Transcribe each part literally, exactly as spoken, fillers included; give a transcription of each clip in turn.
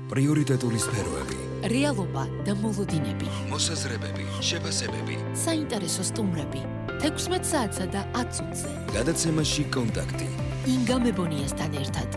პრიორიტეტული სფეროები, რეალობა და მოლოდინები, მოსაზრებები, შეფასებები, საინტერესო სტუმრები, თექვსმეტ საათსა და ათ წუთზე. გადაცემაში კონტაქტი. ინგა მებონიასთან ერთად.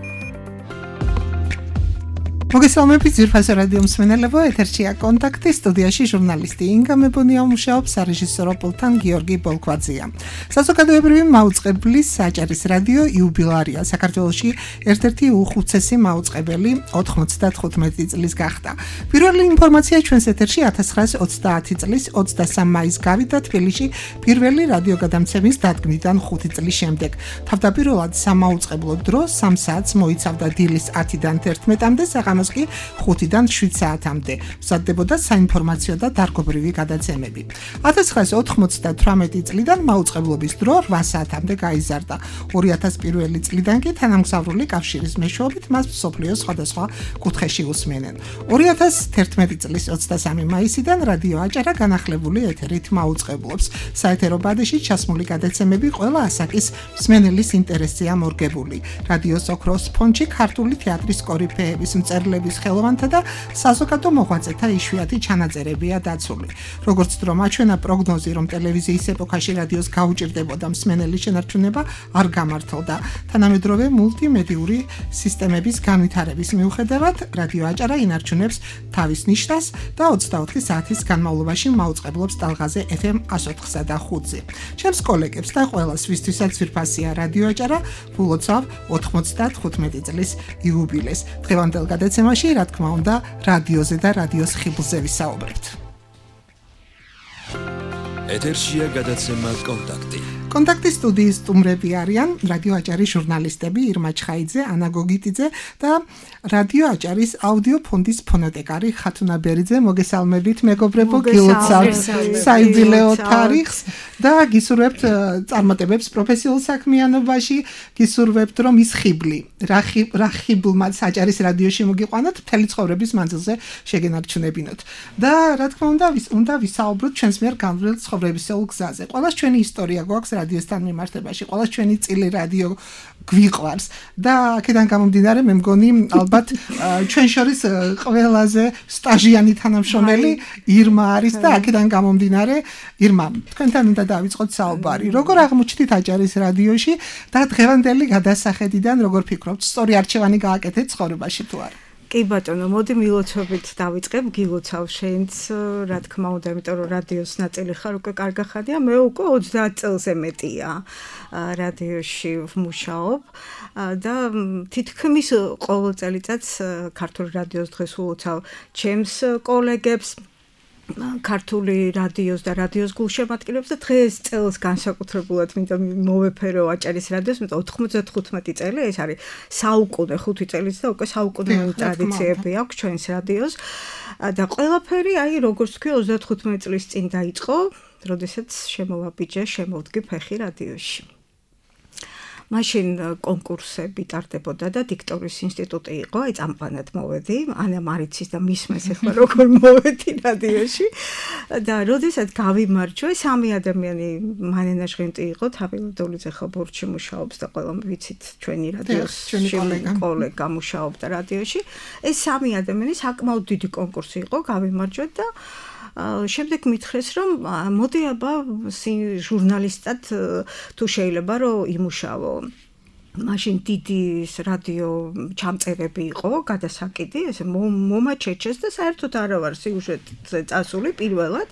მოგესალმებით ძვირფასო რადიო მსმენელებო, ეთერშია კონტაქტი, სტუდიაში ჟურნალისტი ინგა მებონია მუშაობს, სარეჟისორო პულტთან გიორგი ბოლქვაძეა. საზოგადოებრივი მაუწყებლის საჭარის რადიო იუბილარია საქართველოში ერთ-ერთი უხუცესი მაუწყებელი ოთხმოცდათხუთმეტი წლის გახდა. პირველი ინფორმაცია ჩვენს ეთერში ათას ცხრაას ოცდაათი წლის ოცდასამ მაისს გავიდა თბილისში პირველი რადიოგადამცემის დადგმიდან ხუთი წლის შემდეგ. თავდაპირველად სამაუწყებლო დრო სამ საათს მოიცავდა დილის ათიდან თერთმეტამდე, საღამოს კი ხუთიდან შვიდ საათამდე. მზადდებოდა საინფორმაციო და დარგობრივი გადაცემები. ათას ცხრაას ოთხმოცდათვრამეტი წლიდან მაუწყებლობის დრო რვა საათამდე გაიზარდა. ორი ათას პირველი წლიდან კი თანამგზავრული კავშირის მეშვეობით მას მსოფლიოს სხვადასხვა კუთხეში უსმენენ. ორი ათას თერთმეტი წლის ოცდასამი მაისიდან რადიო აჭარა განახლებული ეთერით მაუწყებლობს. საეთერო ბადეში ჩასმული გადაცემები ყველა ასაკის მსმენელის ინტერესზეა მორგებული. რადიოს ოქროს ფონდში ქართული თეატრის კორიფეების მწერლების ხელოვანთა და საზოგადო მოღვაწეთა იშვიათი ჩანაწერებია დაცული. როგორც დრო მაჩვენა პროგნოზი, რომ ტელევიზიის ეპოქაში რადიოს გაუჭირდებოდა მსმენელის შენარჩუნება არ გამართლდა. თანამედროვე მულტიმედიური სისტემების განვითარების მიუხედავად, რადიო აჭარა ინარჩუნებს თავის ნიშნას და ოცდაოთხი საათის განმავლობაში მაუწყებლობს ტალღაზე ეფ ემ ათოთხსა და ხუთზე. ჩემს კოლეგებს და ყველას, ვისთვისაც ძვირფასია რადიო აჭარა, ვილოცავ ოთხმოცდათხუთმეტი წლის იუბილეს. დღევანდელ გადაცემაში, რა თქმა უნდა, რადიოზე და რადიოს ხიბლზე ვისაუბრებთ. ეთერშია გადაცემა კონტაქტი. კონტაქტის სტუდიის სტუმრები არიან რადიო აჭარის ჟურნალისტები ირმა ჩხაიძე, ანა გოგიტიძე და რადიო აჭარის აუდიო ფონდის ფონოტეკარი ხათუნა ბერიძე. მოგესალმებით მეგობრებო, გილოცავთ საიუბილეო თარიღს და გისურვებთ წარმატებებს პროფესიულ საქმიანობაში, გისურვებთ რომ ის ხიბლი, რა ხიბლმაც აჭარის რადიოში მოგიყვანოთ, მთელი ცხოვრების მანძილზე შეგენარჩუნებინოთ. და რა თქმა უნდა, უნდა ვისაუბროთ ჩვენს მიერ განვლილ ცხოვრებისეულ გზაზე. ყველას ჩვენი ისტორია გვაქვს რადიოსთან მიმართებაში, ყველას ჩვენი წილი რადიო გვიყვარს და აქედან გამომდინარე მე მგონი ალბათ ჩვენ შორის ყველაზე სტაჟიანი თანამშრომელი ირმა არის და აქედან გამომდინარე ირმა, თქვენთან უნდა დავიწყოთ საუბარი. როგორ აღმოჩნდით აჭარის რადიოში და დღევანდელი გადასახედიდან როგორ ფიქრობთ, სწორი არჩევანი გააკეთეთ ცხოვრებაში თუ არა? კი ბატონო, მოდი მილოცობით დავიწყებ, გილოცავ შენც, რა თქმა უნდა, იმიტომ რომ რადიოს ნაწილი ხარ, უკვე კარგახანია, მე უკვე ოცდაათ წელზე მეტია რადიოში ვმუშაობ და თითქმის ყოველ წელიწადს ქართული რადიოს დღეს ულოცავ ჩემს კოლეგებს, ქართული რადიოს და რადიოს გულშემატკივრებს და დღეს წელს განსაკუთრებულად მინდა მოვეფერო აჭარის რადიოს, იმიტომ ოთხმოცდათხუთმეტი წელი, ეს არის საუკუნე, ხუთი წელიც და უკვე საუკუნეო ტრადიციები აქვს ჩვენს რადიოს და ყველაფერი, აი, როგორც თქვი, ოცდათხუთმეტი წლის წინ დაიწყო, როდესაც შემოვაბიჯე, შემოვდგი ფეხი რადიოში. მაშინ კონკურსები ტარდებოდა და დიქტორის ინსტიტუტი იყო, აი წამყვანად მოვედი, ანა მარიცის და მისმეს ახლა როგორ მოვედი რადიოში და როდესაც გავიმარჯვე, სამი ადამიანი მანენა ჟღენტი იყო, თავილდოლიძე ხო ბორჩი მუშაობს და ყველა ვიცით ჩვენი რადიოს კოლეგა მუშაობდა რადიოში. ეს სამი ადამიანი საკმაოდ დიდი კონკურსი იყო, გავიმარჯვე და შემდეგ მითხრეს, რომ მოდი აბა ჟურნალისტად თუ შეიძლება რომ იმუშავო. მაშინ დიდი რადიო ჩამწერები იყო, გადასაკიდი, ესე მომაჩეჩეს და საერთოდ არა ვარ სიუჟეტზე წასული პირველად.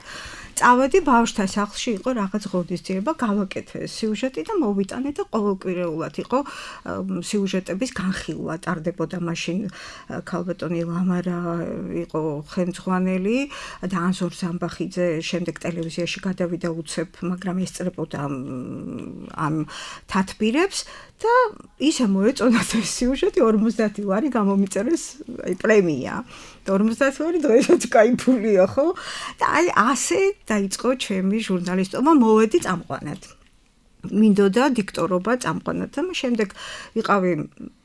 წავედი ბავშვთა სახლში, იყო რაღაც ღონისძიება, გავაკეთე სიუჟეტი და მოვიტანე და ყოველკვირეულად იყო სიუჟეტების განხილვა, ტარდებოდა მაშინ ქალბატონი ლამარა იყო ხელმძღვანელი და ანზორ ზამბახიძე შემდეგ ტელევიზიაში გადავიდა უცებ, მაგრამ ესწრებოდა ამ თათბირებს და ისე მოეწონათ ეს სიუჟეტი, ორმოცდაათი ლარი გამომიწერეს აი პრემია. ორმოცდაათი ლარი დღესაც кайფულია, ხო? და აი ასე დაიწყო ჩემი ჟურნალისტობა, მოვედი წამყვანად. მინდოდა დიქტორობა წამყვანად და შემდეგ ვიყავი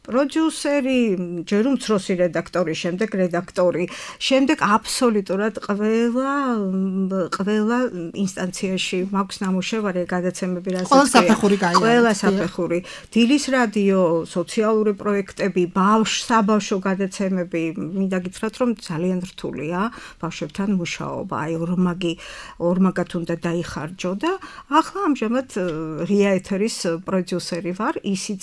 პროდიუსერი, ჯერ უმცროსი რედაქტორი, შემდეგ რედაქტორი, შემდეგ აბსოლუტურად ყველა ყველა ინსტანციაში მაქვს ნამუშევარი გადაცემები, ყველა საფეხური გაიარა. ყველა საფეხური. დილის რადიო, სოციალური პროექტები, ბავშვ საბავშვო გადაცემები, მინდა გითხრათ, რომ ძალიან რთულია ბავშვებთან მუშაობა. აი ორმაგი ორმაგად უნდა დაიხარჯო და ახლა ამჟამად ღია ეთერის პროდიუსერი ვარ, ისიც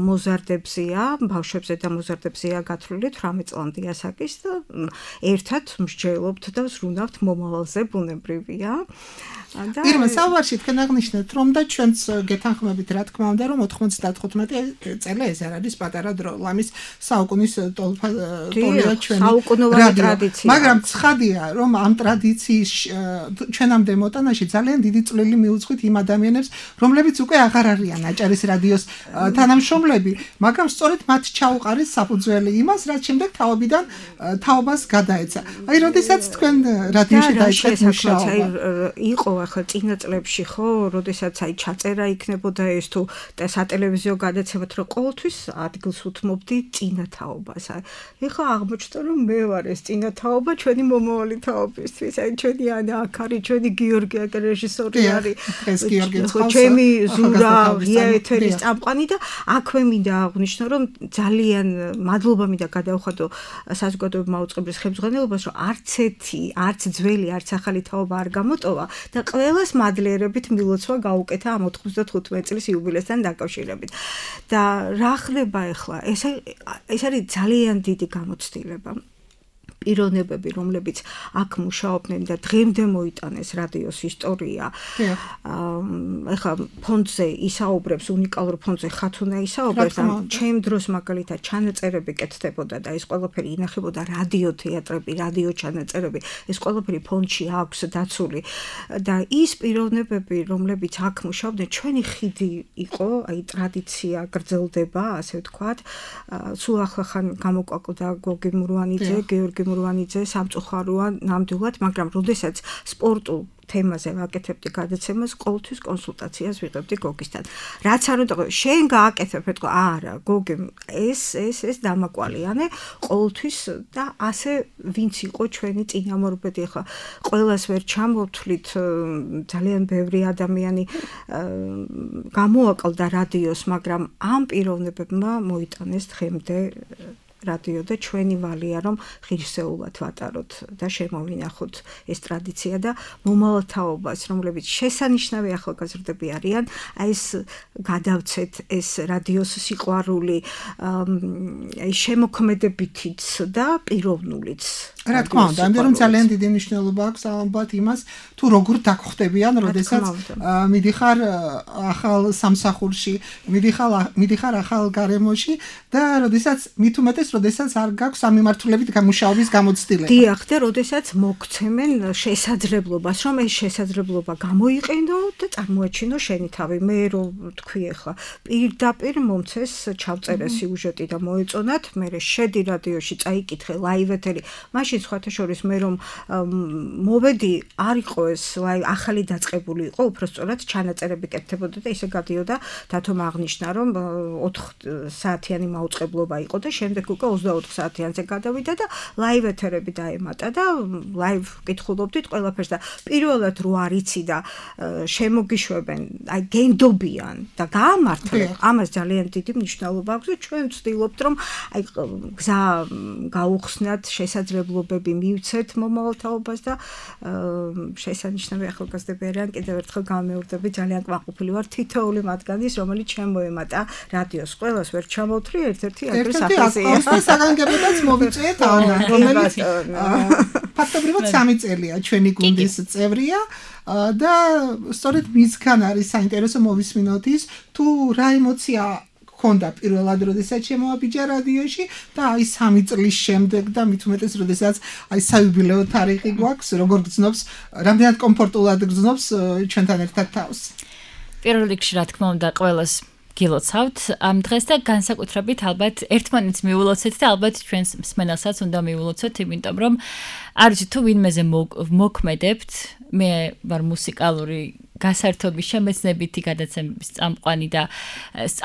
მოზარდებზეა, ბავშვებზე და მოზარდებზეა გათვლილი თვრამეტ წლამდე ასაკის და ერთად მსჯელობთ და ვზრუნავთ მომავალზე, ბუნებრივია. ირმა, საუბარში თქვენ აღნიშნეთ, რომ და ჩვენც გეთანხმებით, რა თქმა უნდა, რომ ოთხმოცდათხუთმეტი წელი ეს არ არის პატარა დრო, ლამის საუკუნის ტოლია ჩვენი საუკუნოვანი ტრადიცია. მაგრამ ცხადია, რომ ამ ტრადიციის ჩვენამდე მოტანაში ძალიან დიდი წვლილი მიუძღვით იმ ადამიანებს, რომლებიც უკვე აღარ არიან აჭარის რადიოს თანამშრომლები, მაგრამ სწორედ მათ ჩაუყარეს საფუძველი იმას, რაც შემდეგ თაობიდან თაობას გადაეცა. აი, როდესაც თქვენ რადიოში დაიწყეთ მუშაობა, იყო ახლა წინა წლებში ხო, როდესაც აი ჩაწერა იქნებოდა ეს თუ სატელევიზიო გადაცემად, რომ ყოველთვის ადგილს უთმობდი წინა თაობას. ეხლა აღმოჩნდა, რომ მე ვარ ეს წინა თაობა ჩვენი მომავალი თაობისთვის. აი ჩვენი ანა აქ არის, ჩვენი გიორგი აქ რეჟისორი არის. ეს გიორგი ჩემი ზურა ღია ეთერის წამყვანი და აქვე მინდა აღვნიშნო, რომ ძალიან მადლობა მინდა გადავხადო საზოგადოებრივ მაუწყებლის ხელმძღვანელობას, რომ არც ერთი, არც ძველი, არც ახალი თაობა არ გამოტოვა და ყველას მადლიერებით მილოცვა გაუკეთა ამ ოთხმოცდათხუთმეტი წლის იუბილესთან დაკავშირებით. და რა ხდება ახლა? ეს ეს არის ძალიან დიდი გამოცდილება. პიროვნებები, რომლებიც აქ მუშაობდნენ და დღემდე მოიტანეს რადიოს ისტორია. ეხლა ფონდზე ისაუბრებს, უნიკალურ ფონდზე ხათუნა ისაუბრებს, ჩემ დროს მაგალითად ჩანაწერები კეთდებოდა და ეს ყველაფერი ინახებოდა რადიო თეატრები, რადიო ჩანაწერები, ეს ყველაფერი ფონდში აქვს დაცული და ის პიროვნებები, რომლებიც აქ მუშაობდნენ, ჩვენი ხიდი იყო, აი ტრადიცია გრძელდება, ასე ვთქვათ. სულ ახლახან გამოკვაკდა გოგი მურვანიძე, გიორგი მურვანიძე სამწუხაროა ნამდვილად, მაგრამ როდესაც სპორტულ თემაზე ვაკეთებდი გადაცემას, ყოველთვის კონსულტაციას ვიღებდი გოგისთან. რაც არ უნდა, შენ გააკეთებ, ეთქო, არა, გოგი, ეს ეს ეს დამაკვალიანე, ყოველთვის და ასე ვინც იყო ჩვენი წინამორბედი, ხა ყველას ვერ ჩამოვთვლით, ძალიან ბევრი ადამიანი გამოაკლდა რადიოს, მაგრამ ამ პიროვნებებმა მოიტანეს დღემდე რადიო და ჩვენი ვალია, რომ ღირსეულად ვატაროთ და შემოვინახოთ ეს ტრადიცია და მომავალ თაობას, რომლებიც შესანიშნავი ახალგაზრდები არიან, აი ეს გადავცეთ ეს რადიოს სიყვარული, აი შემოქმედებითიც და პიროვნულიც. რა თქმა უნდა, ამიტომ რომ ძალიან დიდი მნიშვნელობა აქვს ალბათ იმას, თუ როგორ დაგხვდებიან, როდესაც მიდიხარ ახალ სამსახურში, მიდიხარ მიდიხარ ახალ გარემოში და როდესაც მით უმეტეს როდესაც არ გაქვს ამ მიმართულებით გამუშაობის გამოცდილება. დიახ, და როდესაც მოგცემენ შესაძლებლობას, რომ ეს შესაძლებლობა გამოიყენო და წარმოაჩინო შენი თავი. მე რო თქვი ახლა, პირდაპირ მომცეს ჩავწერე სიუჟეტი და მოეწონათ, მე შედი რადიოში, წაიკითხე ლაივ ეთერი. მაშინ სხვათა შორის მე რომ მოვედი, არ იყო ეს ახალი დაწყებული იყო, უბრალოდ ჩანაწერები კეთდებოდა და ისე გადიოდა, დათომ აღნიშნა, რომ ოთხ საათიანი მაუწყებლობა იყო და შემდეგ უკვე ოცდაოთხ საათიანზე გადავიდა და ლაივ ეთერები დაემატა და ლაივ კითხულობდით ყველაფერს და პირველად რო არიცი და შემოგიშვებენ, აი გენდობიან და გაამართლებ, ამას ძალიან დიდი მნიშვნელობა აქვს და ჩვენ ვცდილობთ, რომ აი გზა გაუხსნათ, შესაძლებლობები მივცეთ მომავალ თაობას და შესანიშნავი ახალგაზრდები არიან. კიდევ ერთხელ გამეორდები, ძალიან კმაყოფილი ვარ თითოეული მათგანის, რომელიც ჩემ მოემატა რადიოს. ყველას ვერ ჩამოვთვლი, ერთ-ერთი ადრე სახეზეა. საგანგებოდაც მოვიწვიეთ ანა, რომელიც ფაქტობრივად სამი წელია ჩვენი გუნდის წევრია და სწორედ მისგან არის საინტერესო მოვისმინოთ ის, თუ რა ემოცია ქონდა პირველად, როდესაც შემოაბიჯა რადიოში და აი სამი წლის შემდეგ და მით უმეტეს, როდესაც აი საიუბილეო თარიღი გვაქვს, როგორ გრძნობს, რამდენად კომფორტულად გრძნობს ჩვენთან ერთად თავს. პირველ რიგში, რა თქმა უნდა, ყველას გილოცავთ ამ დღეს და განსაკუთრებით ალბათ ერთმანეთს მიულოცეთ და ალბათ ჩვენს მსმენელსაც უნდა მიულოცოთ, იმიტომ რომ არ ვიცი თუ ვინმეზე მოქმედებთ, მე ვარ მუსიკალური გასართობი შემეცნებითი გადაცემების წამყვანი და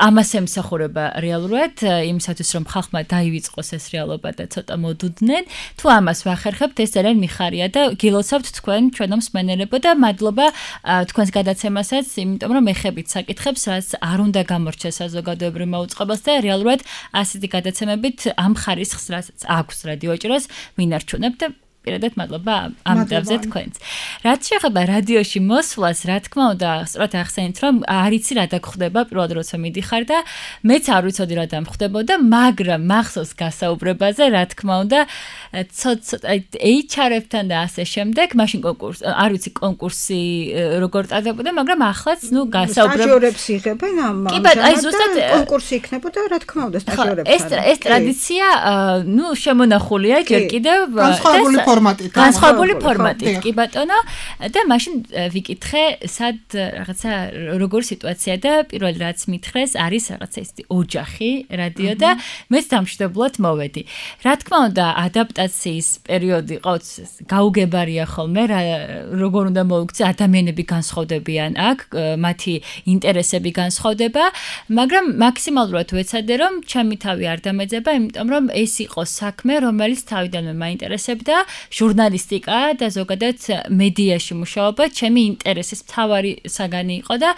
ამას ემსახურება რეალურად იმისათვის რომ ხალხმა დაივიწყოს ეს რეალობა და ცოტა მოდუდნენ თუ ამას ვახერხებთ ეს ძალიან მიხარია და გილოცავთ თქვენ ჩვენო მსმენელებო და მადლობა თქვენს გადაცემასაც იმიტომ რომ ეხებით საკითხებს რაც არ უნდა გამორჩეს საზოგადოებრივ მოუწყებელს და რეალურად ასეთი გადაცემებით ამ ხარისხს რაც აქვს რადიო ეჭირას ვინარჩუნებთ და პირადად მადლობა ამ დავზე თქვენს. რაც შეეხება რადიოში მოსვლას, რა თქმა უნდა, სწორად ახსენეთ, რომ არ იცი რა დაგხვდება პირველად როცა მიდიხარ და მეც არ ვიცოდი რა დამხვდებოდა, მაგრამ მახსოვს გასაუბრებაზე, რა თქმა უნდა, ცოტა ეიჩ არ-ებთან და ასე შემდეგ, მაშინ კონკურსი, არ ვიცი კონკურსი როგორ ტარდებოდა, მაგრამ ახლაც, ნუ გასაუბრებ სტაჟიორებს იღებენ ამ ამჟამად კონკურსი იქნებოდა, რა თქმა უნდა, სტაჟიორებთან. ეს ეს ტრადიცია, ნუ შემონახულია ჯერ კიდევ განსხვავებული ფორმატით. განსხვავებული ფორმატით, კი ბატონო, და მაშინ ვიკითხე, სად რაღაცა როგორ სიტუაცია და პირველ რაც მითხრეს, არის რაღაცა ისეთი ოჯახი რადიო და მეც დამშვიდობლად მოვედი. რა თქმა უნდა, ადაპტაციის პერიოდი ყავს გაუგებარია ხოლმე, როგორ უნდა მოიქცე, ადამიანები განსხვავდებიან აქ, მათი ინტერესები განსხვავდება, მაგრამ მაქსიმალურად ვეცადე, რომ ჩემი თავი არ დამეძება, იმიტომ რომ ეს იყო საქმე, რომელიც თავიდანვე მაინტერესებდა, ჟურნალისტიკა და ზოგადად მედიაში მუშაობა ჩემი ინტერესის მთავარი საგანი იყო და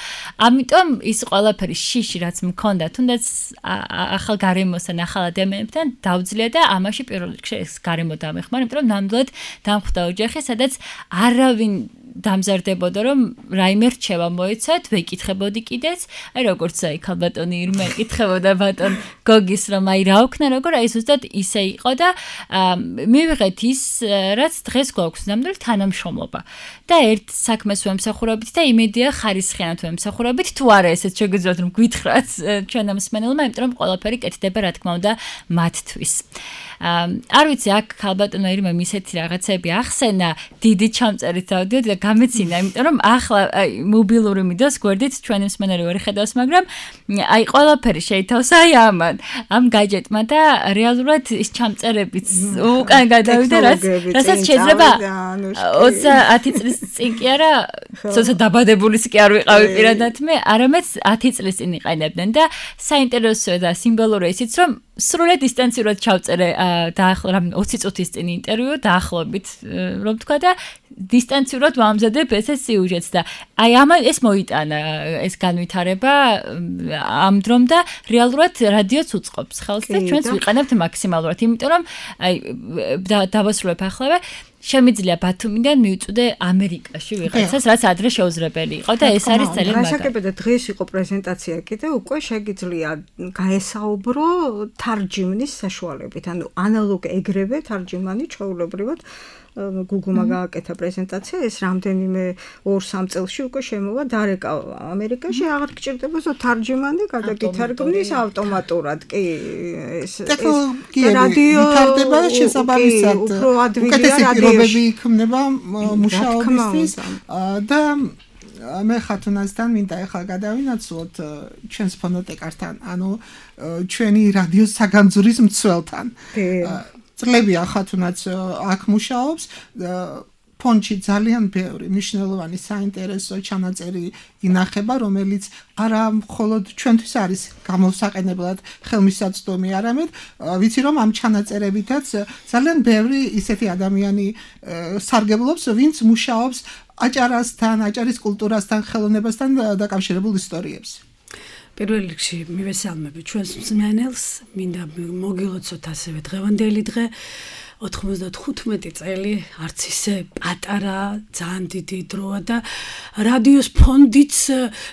ამიტომ ის ყველაფერი შიში რაც მქონდა თუნდაც ახალ გარემოსთან ახალ ადამიანებთან დავძლია და ამაში პირველ რიგში ეს გარემო დამეხმარა იმიტომ რომ ნამდვილად დამხვდა ოჯახი სადაც არავინ დამზარდებოდა რომ რაიმე რჩევა მოეცათ ვეკითხებოდი კიდეც აი როგორც აი ქალბატონი ირმა ეკითხებოდა ბატონ გოგის რომ აი რა ვქნა როგორ აი ზუსტად ისე იყო და მივიღეთ ის რაც დღეს გვაქვს ნამდვილად თანამშრომლობა და ერთ საქმეს ვემსახურებით და იმედია ხარისხიანად ვემსახურებით თუ არა ესეც შეგიძლიათ რომ გვითხრათ ჩვენ ამ მსმენელმა იმიტომ რომ ყველაფერი კეთდება რა თქმა უნდა მათთვის არ ვიცი აქ ქალბატონო ირმა ისეთი რაღაცები ახსენა დიდი ჩამწერით დავდიოდი და გამეცინა იმიტომ რომ ახლა მობილური მიდას გვერდით ჩვენი მსმენელი ვერ ხედავს მაგრამ აი ყველაფერი შეითავს აი ამან ამ გაჯეტმა და რეალურად ის ჩამწერებიც უკან გადავიდა რაც რასაც შეიძლება ოცი წლის წინ კი არა ცოტა დაბადებულის კი არ ვიყავი პირადად მე არამედ ათი წლის წინ იყენებდნენ და საინტერესოა და სიმბოლური ისიც რომ სრულად დისტანციურად ჩავწერე დაახლოებით ოცი წუთის წინ ინტერვიუ დაახლოებით რომ თქვა და დისტანციურად ვამზადებ ეს სიუჟეტს და აი ამ ეს მოიტანა ეს განვითარება ამ დრომ და რეალურად რადიოც უწყობს ხელს და ჩვენც ვიყენებთ მაქსიმალურად იმიტომ რომ აი დავასრულებ ახლა შემიძლია ბათუმიდან მივწვდე ამერიკაში ვიღაცას რაც ადრე შეუძლებელი იყო და ეს არის ძალიან მაგარი. გასაგებია დღეს იყო პრეზენტაცია კიდე უკვე შეგიძლია გაესაუბრო თარჯიმნის საშუალებით ანუ ანალოგ ეგრევე თარჯიმანი ჩვეულებრივად გუგლმა გააკეთა პრეზენტაცია ეს რამდენიმე ორ სამ წელში უკვე შემოვა დარეკა ამერიკაში აღარ გჭირდება ზო თარჯიმანი გადაგითარგმნის ავტომატურად კი ეს რადიო ვითარდება შესაბამისად უკეთესი პირობები იქმნება მუშაობისთვის და მე ხათუნასთან მინდა ახლა გადავინაცვლოთ ჩვენს ფონოტეკართან ანუ ჩვენი რადიო საგანძურის მცველთან წლებია ხათუნაც აქ მუშაობს ფონდში ძალიან ბევრი მნიშვნელოვანი საინტერესო ჩანაწერი ინახება რომელიც არა მხოლოდ ჩვენთვის არის გამოსაყენებლად ხელმისაწვდომი არამედ ვიცი რომ ამ ჩანაწერებითაც ძალიან ბევრი ისეთი ადამიანი სარგებლობს ვინც მუშაობს აჭარასთან აჭარის კულტურასთან ხელოვნებასთან დაკავშირებულ ისტორიებს პირველ რიგში მივესალმები ჩვენს მსმენელს, მინდა მოგილოცოთ ასევე დღევანდელი დღე ოთხმოცდათხუთმეტი წელი არც ისე პატარა, ძალიან დიდი დროა და რადიოს ფონდიც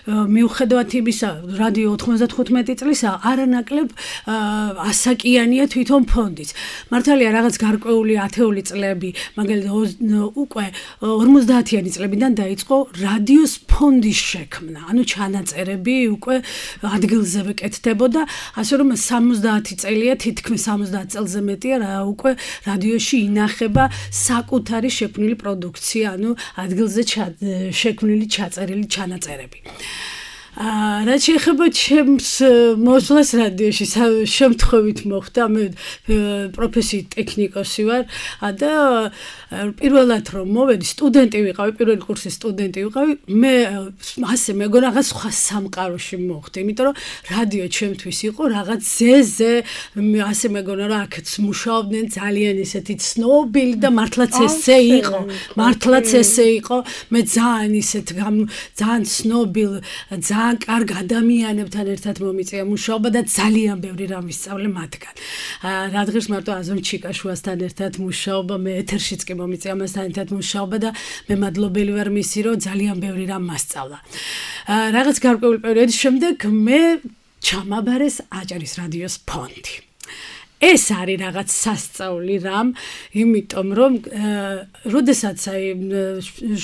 მიუხედავად იმისა, რადიო ოთხმოცდათხუთმეტი წლისა არანაკლებ ასაკიანია თვითონ ფონდიც. მართალია რაღაც გარკვეული ათეული წლები, მაგალითად უკვე ორმოცდაათიანი წლებიდან დაიწყო რადიოს ფონდის შექმნა. ანუ ჩანაწერები უკვე ადგილზე ვეკეთდებოდა, ასე რომ სამოცდაათი წელია, თითქმის სამოცდაათ წელზე მეტია რა უკვე რადიოში ინახება საკუთარი შექმნილი პროდუქცია, ანუ ადგილზე შექმნილი ჩაწერილი ჩანაწერები. აა რაც შეეხება ჩემს მოსვლას რადიოში შემთხვევით მოხდა მე პროფესიით ტექნიკოსი ვარ და პირველად რომ მოვედი სტუდენტი ვიყავი პირველი კურსის სტუდენტი ვიყავი მე ასე მეგონა რაღაც სხვა სამყაროში მოხდა იმიტომ რომ რადიო ჩემთვის იყო რაღაც ზეზე ასე მეგონა რომ აქაც მუშაობდნენ ძალიან ისეთი ცნობილი და მართლაც ესე იყო მართლაც ესე იყო მე ძალიან ისეთ ძალიან ცნობილ ძალიან კარგ ადამიანებთან ერთად მომიწია მუშაობა და ძალიან ბევრი რამ ვისწავლე მათგან რადგანაც მარტო აზომ ჩიკაშუასთან ერთად მუშაობა მე ეთერშიც კი მომიწია მასთან ერთად მუშაობა და მე მადლობელი ვარ მისი რომ ძალიან ბევრი რამ მასწავლა რაღაც გარკვეული პერიოდის შემდეგ მე ჩამაბარეს აჭარის რადიოს ფონდი ეს არის რაღაც სასწაული რამ, იმიტომ რომ როდესაც აი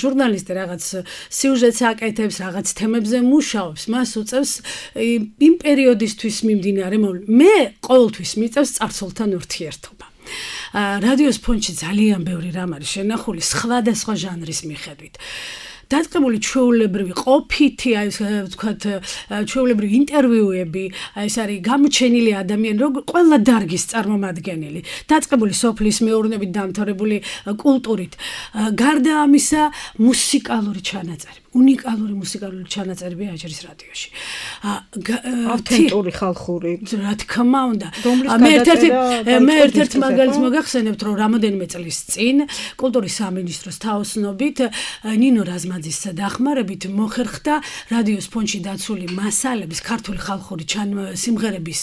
ჟურნალისტი რაღაც სიუჟეტს აკეთებს, რაღაც თემებზე მუშაობს, მას უწევს იმ პერიოდისთვის მიმდინარე მე ყოველთვის მიწევს წარსულთან ურთიერთობა. რადიოს ფონდში ძალიან ბევრი რამ არის შენახული სხვადასხვა ჟანრის მიხედვით. დაწყებული ჩვეულებრივი ყოფითი, აი ვთქვათ, ჩვეულებრივი ინტერვიუები, აი ეს არის გამოჩენილი ადამიანი, რო ყველა დარგის წარმომადგენელი, დაწყებული სოფლის მეურნეობით დამთავრებული კულტურით. გარდა ამისა, მუსიკალური ჩანაწერი. უნიკალური მუსიკალური ჩანაწერები აჭარის რადიოში. ავთენტური ხალხური. რა თქმა უნდა. მე ერთ-ერთი მე ერთ-ერთი მაგალითს მოგახსენებთ, რომ რამოდენიმე წლის წინ კულტურის სამინისტროს თაოსნობით ნინო რაზმაძის დახმარებით მოხერხდა რადიოს ფონდში დაცული მასალების ქართული ხალხური სიმღერების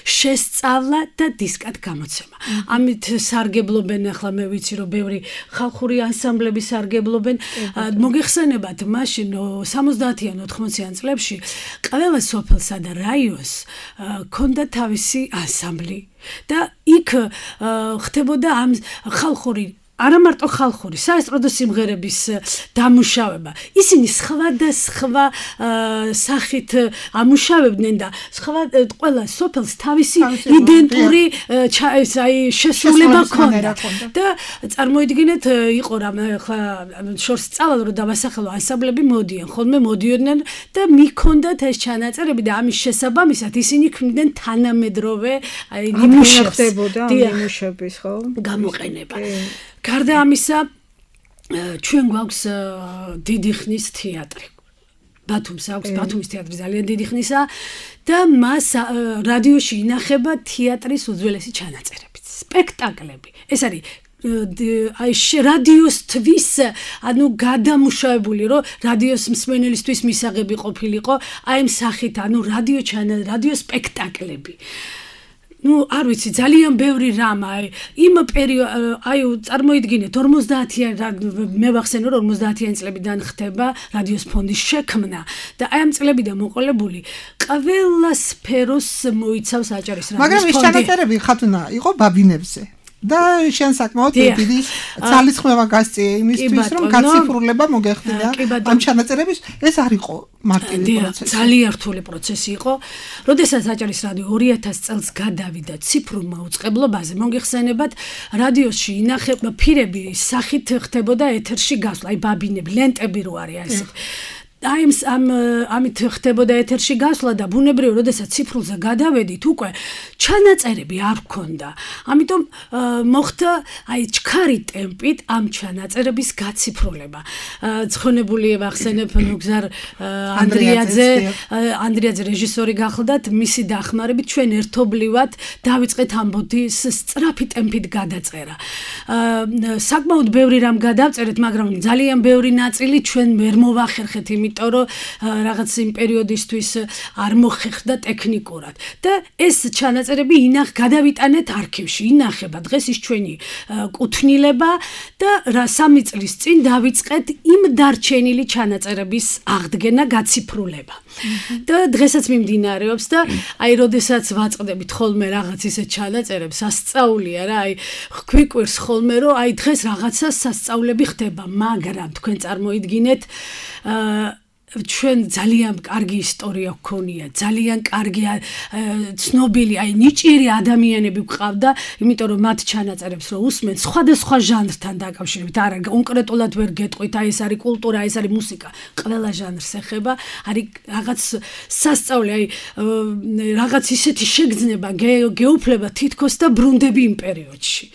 შესწავლა და დისკად გამოცემა. ამით სარგებლობენ ახლა მე ვიცი რომ ბევრი ხალხური ანსამბლები სარგებლობენ. მოგეხსენებათ მას სამოცდაათიან ოთხმოციან წლებში ყველა სოფელსა და რაიონს ჰქონდა თავისი ანსამბლი და იქ ხდებოდა ამ ხალხური არა მარტო ხალხური, საესტრადო სიმღერების დამუშავება. ისინი სხვადასხვა სახით ამუშავებდნენ და სხვა ყველა სოფელს თავისი იდენტური აი შესრულება ჰქონდა. და წარმოიდგინეთ, იყო რამ ახლა შორს წავალ რომ დავასახელო ანსამბლები მოდიან, ხოლმე მოდიოდნენ და მიქონდათ ეს ჩანაწერები და ამის შესაბამისად ისინი ქმნიდნენ თანამედროვე აი ნიმუშებს. ხდებოდა ნიმუშების, ხო? გამოყენება. გარდა ამისა, ჩვენ გვაქვს დიდი ხნის თეატრი. ბათუმს აქვს, ბათუმის თეატრი ძალიან დიდი ხნისა და მას რადიოში ინახება თეატრის უძველესი ჩანაწერები, სპექტაკლები. ეს არის აი რადიოსთვის, ანუ გადამუშავებული, რომ რადიოს მსმენელისთვის მისაღები ყოფილიყო, აი ამ სახით, ანუ რადიო ჩანა, რადიო სპექტაკლები. ну, არ ვიცი, ძალიან ბევრი რამ, აი, იმ პერიოდ, აი, წარმოიდგინეთ, ორმოცდაათიან, მე ვახსენო, რომ ორმოცდაათიან წლებიდან ხდება რადიოს ფონდის შექმნა და აი ამ წლებიდან მოყოლებული ყველა სფეროს მოიცავს აჭარის რადიოს ფონდი. მაგრამ ეს ჩანაწერები ხათუნა იყო ბაბინებზე. და შენ საკმაოდ დიდი ძალისხმევა გასწია იმისთვის, რომ გაციფრულება მოგეხდინა ამ ჩანაწერების. ეს არ იყო მარტივი პროცესი. ძალიან რთული პროცესი იყო. როდესაც აჭარის რადიო ორი ათას წელს გადავიდა ციფრულ მაუწყებლობაზე, მოგეხსენებათ, რადიოში ინახება ფირები სახით ხდებოდა ეთერში გასვლა, აი ბაბინები, ლენტები რო არის ასეთ. აი ამ ამით ხდებოდა ეთერში გასვლა და ბუნებრივია, როდესაც ციფრულზე გადავედით, უკვე ჩანაწერები არ გქონდა. ამიტომ მოხდა აი ჩქარი ტემპით ამ ჩანაწერების გაციფრულება. ცხონებული ვახსენებ ნუგზარ ანდრიაძე, ანდრიაძე რეჟისორი გახლდათ, მისი დახმარებით ჩვენ ერთობლივად დავიწყეთ ამბოდის სწრაფი ტემპით გადაწერა. საკმაოდ ბევრი რამ გადავწერეთ, მაგრამ ძალიან ბევრი ნაწილი ჩვენ ვერ მოვახერხეთ, იმიტომ რომ რაღაც იმ პერიოდისთვის არ მოხერხდა ტექნიკურად და ეს ჩანაწერები ინახ გადავიტანეთ არქივში, ინახება დღეს ის ჩვენი კუთვნილება და რა სამი წლის წინ დავიწყეთ იმ დარჩენილი ჩანაწერების აღდგენა, გაციფრულება. და დღესაც მიმდინარეობს და აი როდესაც ვაწყდებით ხოლმე რაღაც ისე ჩანაწერებს, სასწაულია რა, აი გვიკვირს ხოლმე რომ აი დღეს რაღაცა სასწაულები ხდება, მაგრამ თქვენ წარმოიდგინეთ ჩვენ ძალიან კარგი ისტორია გქონია, ძალიან კარგი ცნობილი, აი ნიჭიერი ადამიანები გვყავდა, იმიტომ რომ მათ ჩანაწერებს რო უსმენ სხვადასხვა ჟანრთან დაკავშირებით, არა კონკრეტულად ვერ გეტყვით, აი ეს არის კულტურა, ეს არის მუსიკა, ყველა ჟანრს ეხება, არის რაღაც სასწაული, აი რაღაც ისეთი შეგრძნება, გეუფლება თითქოს და ბრუნდები იმ პერიოდში.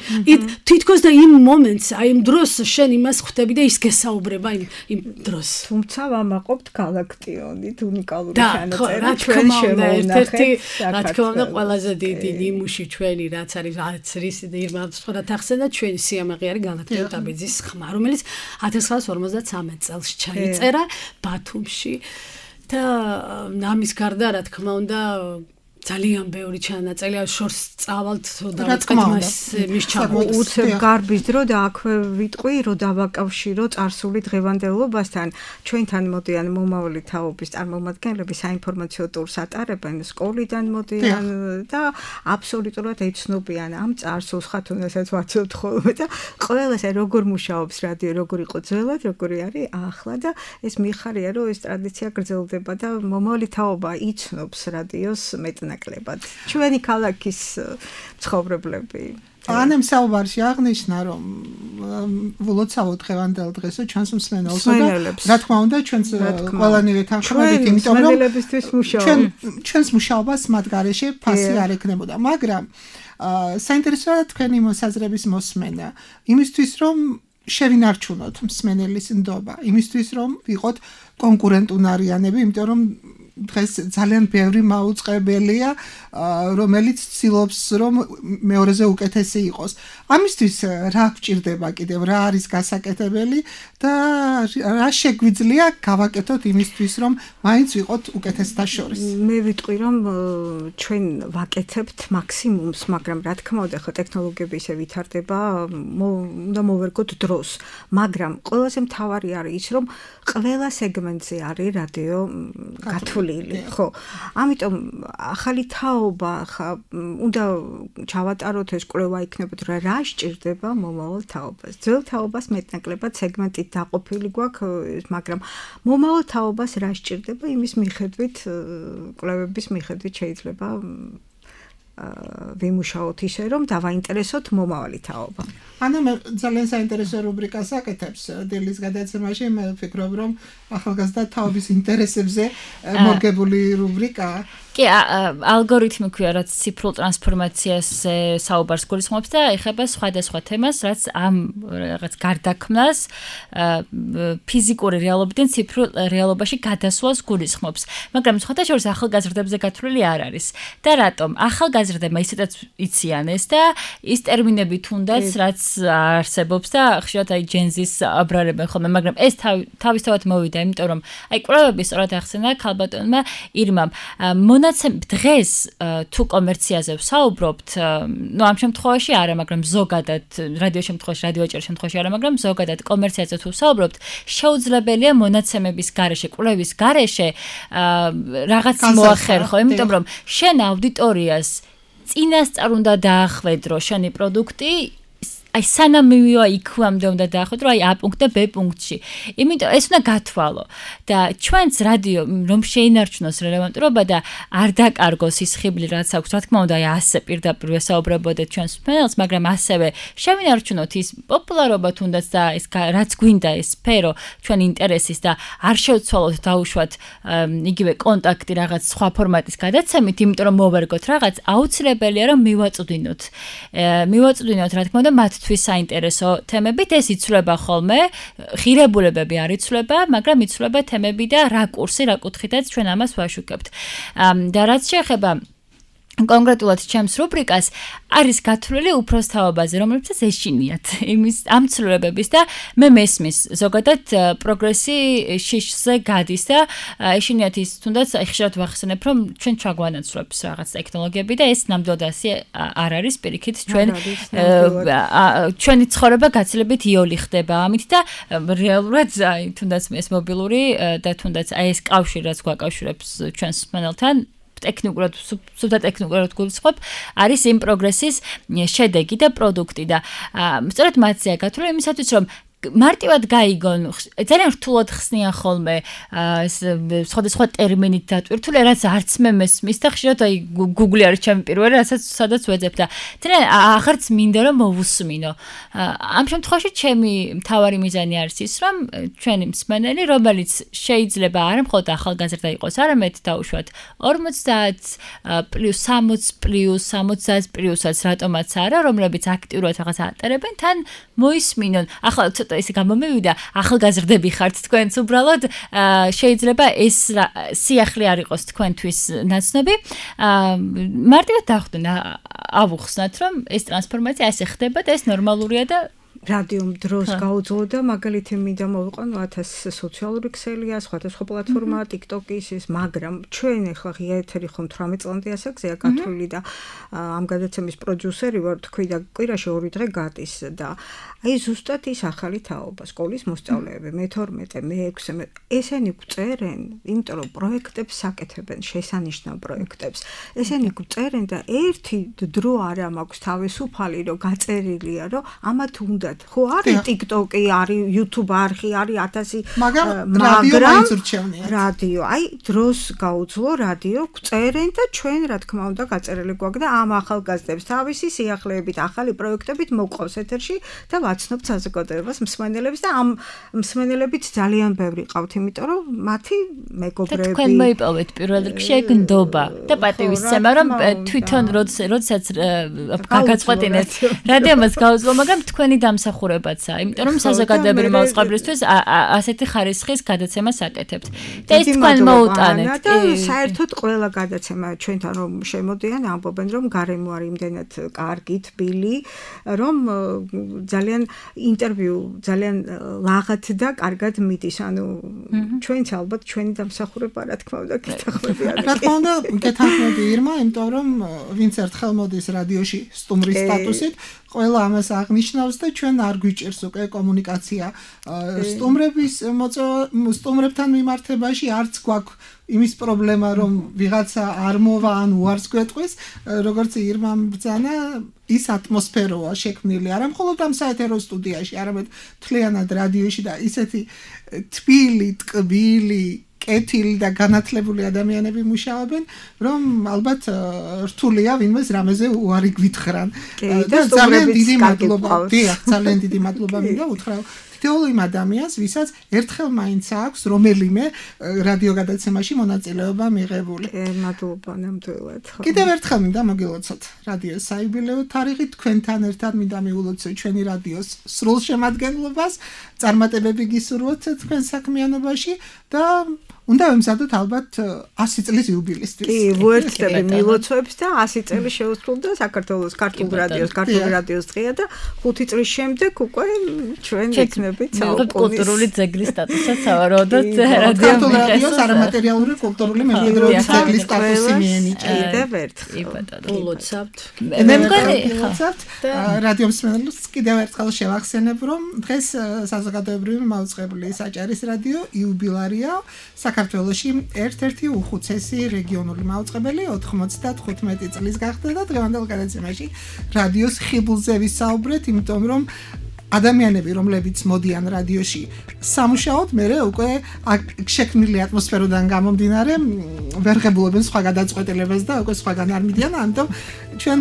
თითქოს და იმ მომენტს, აი იმ დროს შენ იმას ხვდები და ის გესაუბრება იმ იმ დროს. თუმცა ვამაყობთ გალაქტიონით უნიკალური ჩანაწერი ჩვენ შემოვნახეთ. რა თქმა უნდა, ყველაზე დიდი ნიმუში ჩვენი რაც არის რაც რის ირმავსფორად ახსენა ჩვენი სიამაყე არის გალაქტიონ ტაბიძის ხმა, რომელიც ათას ცხრაასი ორმოცდათსამეტ წელს ჩაიწერა ბათუმში და ამის გარდა რა თქმა უნდა ძალიან ბევრი ჩანაწერი შორს წავალთ დავიწყეთ მას მის ჩამოყალიბებას. უცებ გარბის დრო და აქვე ვიტყვი რომ დავაკავშირო წარსული დღევანდელობასთან. ჩვენთან მოდიან მომავალი თაობის წარმომადგენლები საინფორმაციო ტურს ატარებენ, სკოლიდან მოდიან და აბსოლუტურად ეცნობიან ამ წარსულს, ხათუნასაც ვაცნობთ ხოლმე და ყველას როგორ მუშაობს რადიო, როგორ იყო ძველად, როგორი არის ახლა და ეს მიხარია რომ ეს ტრადიცია გრძელდება და მომავალი თაობა იცნობს რადიოს მეტ ნაკლებად. ჩვენი ქალაქის მცხოვრებლები. ანემ საუბარში აღნიშნა, რომ ვლოცავო დღევანდელ დღესო ჩვენს მსმენელსო და რა თქმა უნდა ჩვენს ყველანივე თანხმობით, იმიტომ რომ ჩვენ ჩვენს მუშაობას მათ გარეშე ფასი არ ექნებოდა, მაგრამ საინტერესოა თქვენი მოსაზრების მოსმენა იმისთვის, რომ შევინარჩუნოთ მსმენელის ნდობა, იმისთვის, რომ ვიყოთ კონკურენტუნარიანები, იმიტომ რომ დღეს ძალიან ბევრი მაუწყებელია, რომელიც ცდილობს, რომ მეორეზე უკეთესი იყოს. ამისთვის რა გვჭირდება კიდევ, რა არის გასაკეთებელი და რა შეგვიძლია გავაკეთოთ იმისთვის, რომ მაინც ვიყოთ უკეთესთა შორის. მე ვიტყვი, რომ ჩვენ ვაკეთებთ მაქსიმუმს, მაგრამ რა თქმა უნდა, ხო ტექნოლოგიები ისე ვითარდება, უნდა მოვერგოთ დროს, მაგრამ ყველაზე მთავარი არის ის, რომ ყველა სეგმენტზე არის რადიო გათვლილი, ხო. ამიტომ ახალი თაობა ხა უნდა ჩავატაროთ ეს კვლევა იქნებოდა რა რა სჭირდება მომავალ თაობას. ძველ თაობას მეტნაკლებად სეგმენტით დაყოფილი გვაქვს, მაგრამ მომავალ თაობას რა სჭირდება იმის მიხედვით, კვლევების მიხედვით შეიძლება ვიმუშაოთ ისე, რომ დავაინტერესოთ მომავალი თაობა. ანა მე ძალიან საინტერესო რუბრიკას აკეთებს დილის გადაცემაში, მე ვფიქრობ, რომ ახალგაზრდა თაობის ინტერესებზე მორგებული რუბრიკაა. კი, ალგორითმი ქვია, რაც ციფრულ ტრანსფორმაციას საუბარს გულისხმობს და ეხება სხვადასხვა თემას, რაც ამ რაღაც გარდაქმნას ფიზიკური რეალობიდან ციფრულ რეალობაში გადასვლას გულისხმობს. მაგრამ სხვათა შორის ახალგაზრდებზე გათვლილი არ არის. და რატომ? ახალგაზრდებმა ისედაც იციან ეს და ის ტერმინები თუნდაც რაც არსებობს და ხშირად აი ჯენზის აბრარებენ ხოლმე, მაგრამ ეს თავისთავად მოვიდა, იმიტომ რომ აი კვლევები სწორად ახსენა ქალბატონმა ირმამ. მონაცემ დღეს თუ კომერციაზე ვსაუბრობთ, ნუ ამ შემთხვევაში არა, მაგრამ ზოგადად რადიო შემთხვევაში, რადიო ეჭერის შემთხვევაში არა, მაგრამ ზოგადად კომერციაზე თუ ვსაუბრობთ, შეუძლებელია მონაცემების გარეშე, კვლევის გარეშე რაღაც მოახერხო, იმიტომ რომ შენ აუდიტორიას წინასწარ უნდა დაახვედრო შენი პროდუქტი, აი სანამ მივივა იქვამდე უნდა დაახვედრო, აი A პუნქტ და B პუნქტში. იმიტომ ეს უნდა გათვალო და ჩვენს რადიო რომ შეინარჩუნოს რელევანტურობა და არ დაკარგოს ის ხიბლი, რაც აქვს, რა თქმა უნდა, აი ასე პირდაპირ ვესაუბრებოდეთ ჩვენს მსმენელს, მაგრამ ასევე შევინარჩუნოთ ის პოპულარობა თუნდაც და ეს რაც გვინდა ეს სფერო ჩვენ ინტერესის და არ შევცვალოთ დაუშვათ იგივე კონტაქტი რაღაც სხვა ფორმატის გადაცემით, იმიტომ რომ მოვერგოთ რაღაც, აუცილებელია რომ მივაწვდინოთ. მივაწვდინოთ, რა თქმა უნდა, მათ თვის საინტერესო თემებით, ეს იცვლება ხოლმე, ღირებულებები არ იცვლება, მაგრამ იცვლება თემები და რაკურსი, რა კუთხითაც ჩვენ ამას ვაშუქებთ. და რაც შეეხება კონკრეტულად ჩემს რუბრიკას არის გათვლილი უფროსთაობაზე, რომლებსაც ეშინიათ იმის ამ ცვლილებების და მე მესმის ზოგადად პროგრესი შიშზე გადის და ეშინიათ ის თუნდაც ხშირად ვახსენებ, რომ ჩვენ ჩაგვანაცვლებს რაღაც ტექნოლოგიები და ეს ნამდვილად ასე არ არის, პირიქით ჩვენ ჩვენი ცხოვრება გაცილებით იოლი ხდება ამით და რეალურად თუნდაც ეს მობილური და თუნდაც აი ეს კავშირი რაც გვაკავშირებს ჩვენს მსმენელთან ტექნიკურად, სუფთა ტექნიკურად გულისხმობ, არის იმ პროგრესის შედეგი და პროდუქტი და სწორედ მათზეა გათვლილი იმისათვის, რომ მარტივად გაიგონ, ძალიან რთულად ხსნიან ხოლმე სხვადასხვა ტერმინით დატვირთული, რაც არც მე მესმის და ხშირად აი Google არის ჩემი პირველი, რასაც სადაც ვეძებ და ძალიან აღარც მინდა რომ მოვუსმინო. ამ შემთხვევაში ჩემი მთავარი მიზანი არის ის, რომ ჩვენი მსმენელი, რომელიც შეიძლება არა მხოლოდ ახალგაზრდა იყოს, არამედ დაუშვათ ორმოცდაათ პლუს სამოცი პლუს სამოცდაათ პლუსაც რატომაც არა, რომლებიც აქტიურად რაღაც ატარებენ, თან მოისმინონ. ახლა ცოტა ისე გამომივიდა, ახალგაზრდები ხართ თქვენც უბრალოდ შეიძლება ეს სიახლე არ იყოს თქვენთვის ნაცნობი. მარტივად დახვდენ ავუხსნათ, რომ ეს ტრანსფორმაცია ასე ხდება და ეს ნორმალურია და რადიომ დროს გაუძლო და მაგალითი მინდა მოვიყვანო ათას სოციალური ქსელია, სხვადასხვა პლატფორმაა, TikTok-ის ის, მაგრამ ჩვენ ახლა ღია ეთერი ხომ თვრამეტ წლამდე ასაკზეა გათვლილი და ამ გადაცემის პროდიუსერი ვარ, თქვი და კვირაში ორი დღე გადის და აი ზუსტად ის ახალი თაობა, სკოლის მოსწავლეები, მეთორმეტე, მეექვსე, ესენი გვწერენ, იმიტომ რომ პროექტებს საკეთებენ, შესანიშნავ პროექტებს. ესენი გვწერენ და ერთი დრო არა მაქვს თავისუფალი, რომ გაწერილია, რომ ამათ უნდა ხო არის TikTok-ი, არის YouTube არხი, არის ათასი, მაგრამ რადიო მაინც ურჩევნია. რადიო, აი დროს გაუძლო რადიო გვწერენ და ჩვენ რა თქმა უნდა გაწერილი გვაქვს და ამ ახალგაზრდებს თავისი სიახლეებით, ახალი პროექტებით მოყავს ეთერში და ვაცნობთ საზოგადოებას მსმენელებს და ამ მსმენელებით ძალიან ბევრი ყავთ, იმიტომ რომ მათი მეგობრები თქვენ მოიპოვეთ პირველ რიგში ეგ ნდობა და პატივისცემა, რომ თვითონ როდესაც გაგაწყვეტინეთ რადიომას გაუძლო, მაგრამ თქვენი დამსახურებაცაა, იმიტომ რომ საზოგადოებრივი მაუწყებლისთვის ასეთი ხარისხის გადაცემას აკეთებთ. და ეს თქვენ მოუტანეთ. და საერთოდ ყველა გადაცემა ჩვენთან რომ შემოდიან, ამბობენ რომ გარემო არის იმდენად კარგი, თბილი, რომ ძალიან ინტერვიუ ძალიან ლაღად და კარგად მიდის. ანუ ჩვენც ალბათ ჩვენი დამსახურება რა თქმა უნდა გითხრები არის. რა თქმა უნდა გეთანხმები ირმა, იმიტომ რომ ვინც ერთხელ მოდის რადიოში სტუმრის სტატუსით, ყველა ამას აღნიშნავს და ჩვენ არ გვიჭირს უკვე კომუნიკაცია სტუმრების სტუმრებთან მიმართებაში არც გვაქვს იმის პრობლემა რომ ვიღაცა არ მოვა ან უარს გვეტყვის, როგორც ირმამ ბრძანა, ის ატმოსფეროა შექმნილი არა მხოლოდ ამ საეთერო სტუდიაში, არამედ მთლიანად რადიოში და ისეთი თბილი, ტკბილი კეთილი და განათლებული ადამიანები მუშაობენ, რომ ალბათ რთულია ვინმეს რამეზე უარი გვითხრან. და ძალიან დიდი მადლობა. დიახ, ძალიან დიდი მადლობა მინდა უთხრა თითოეულ იმ ადამიანს, ვისაც ერთხელ მაინც აქვს რომელიმე რადიო გადაცემაში მონაწილეობა მიღებული. მადლობა ნამდვილად. კიდევ ერთხელ მინდა მოგილოცოთ რადიოს საიუბილეო თარიღი, თქვენთან ერთად მინდა მივულოცოთ ჩვენი რადიოს სრულ შემადგენლობას, წარმატებები გისურვოთ თქვენ საქმიანობაში და უნდა ვემზადოთ ალბათ ასი წლის იუბილისთვის. კი, ვუერთდები მილოცვებს და ასი წელი შეუსრულდა საქართველოს ქართულ რადიოს, ქართული რადიოს დღეა და ხუთი წლის შემდეგ უკვე ჩვენ ვიქნებით კულტურული ძეგლის სტატუსად სავარაუდოდ რადიო ქართულ რადიოს არამატერიალური კულტურული მემკვიდრეობის ძეგლის სტატუსი მიენიჭა. კიდევ ერთხელ. ულოცავთ. მე მგონი ულოცავთ. რადიო მსმენელს კიდევ ერთხელ შევახსენებ, რომ დღეს საზოგადოებრივი მაუწყებლი საჭარის რადიო იუბილარია საქართველოში ერთ-ერთი უხუცესი რეგიონული მაუწყებელი ოთხმოცდათხუთმეტი წლის გახდა და დღევანდელ გადაცემაში რადიოს ხიბლზე ვისაუბრეთ, იმიტომ რომ ადამიანები, რომლებიც მოდიან რადიოში სამუშაოდ, მერე უკვე შექმნილი ატმოსფეროდან გამომდინარე ვერ ღებულობენ სხვა გადაწყვეტილებას და უკვე სხვაგან არ მიდიან, ამიტომ ჩვენ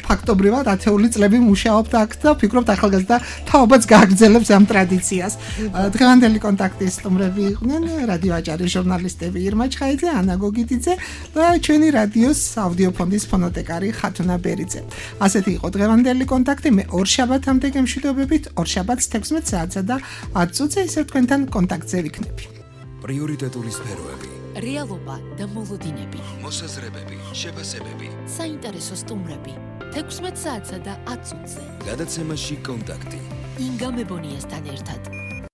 ფაქტობრივად ათეული წლები მუშაობთ აქ და ვფიქრობთ ახალგაზრდა თაობაც გააგრძელებს ამ ტრადიციას. დღევანდელი კონტაქტის სტუმრები იყვნენ რადიო აჭარის ჟურნალისტები ირმა ჩხაიძე, ანა გოგიტიძე და ჩვენი რადიოს აუდიო ფონდის ფონოტეკარი ხათუნა ბერიძე. ასეთი იყო დღევანდელი კონტაქტი. მე ორშაბათამდე გემშვიდობებით. ორშაბათს თექვსმეტ საათსა და ათ წუთზე ისევ თქვენთან კონტაქტზე ვიქნები. პრიორიტეტული სფეროები, რეალობა და მოლოდინები, მოსაზრებები, შეფასებები, საინტერესო სტუმრები. თექვსმეტ საათსა და ათ წუთზე. გადაცემაში კონტაქტი. ინგა მებონიასთან ერთად.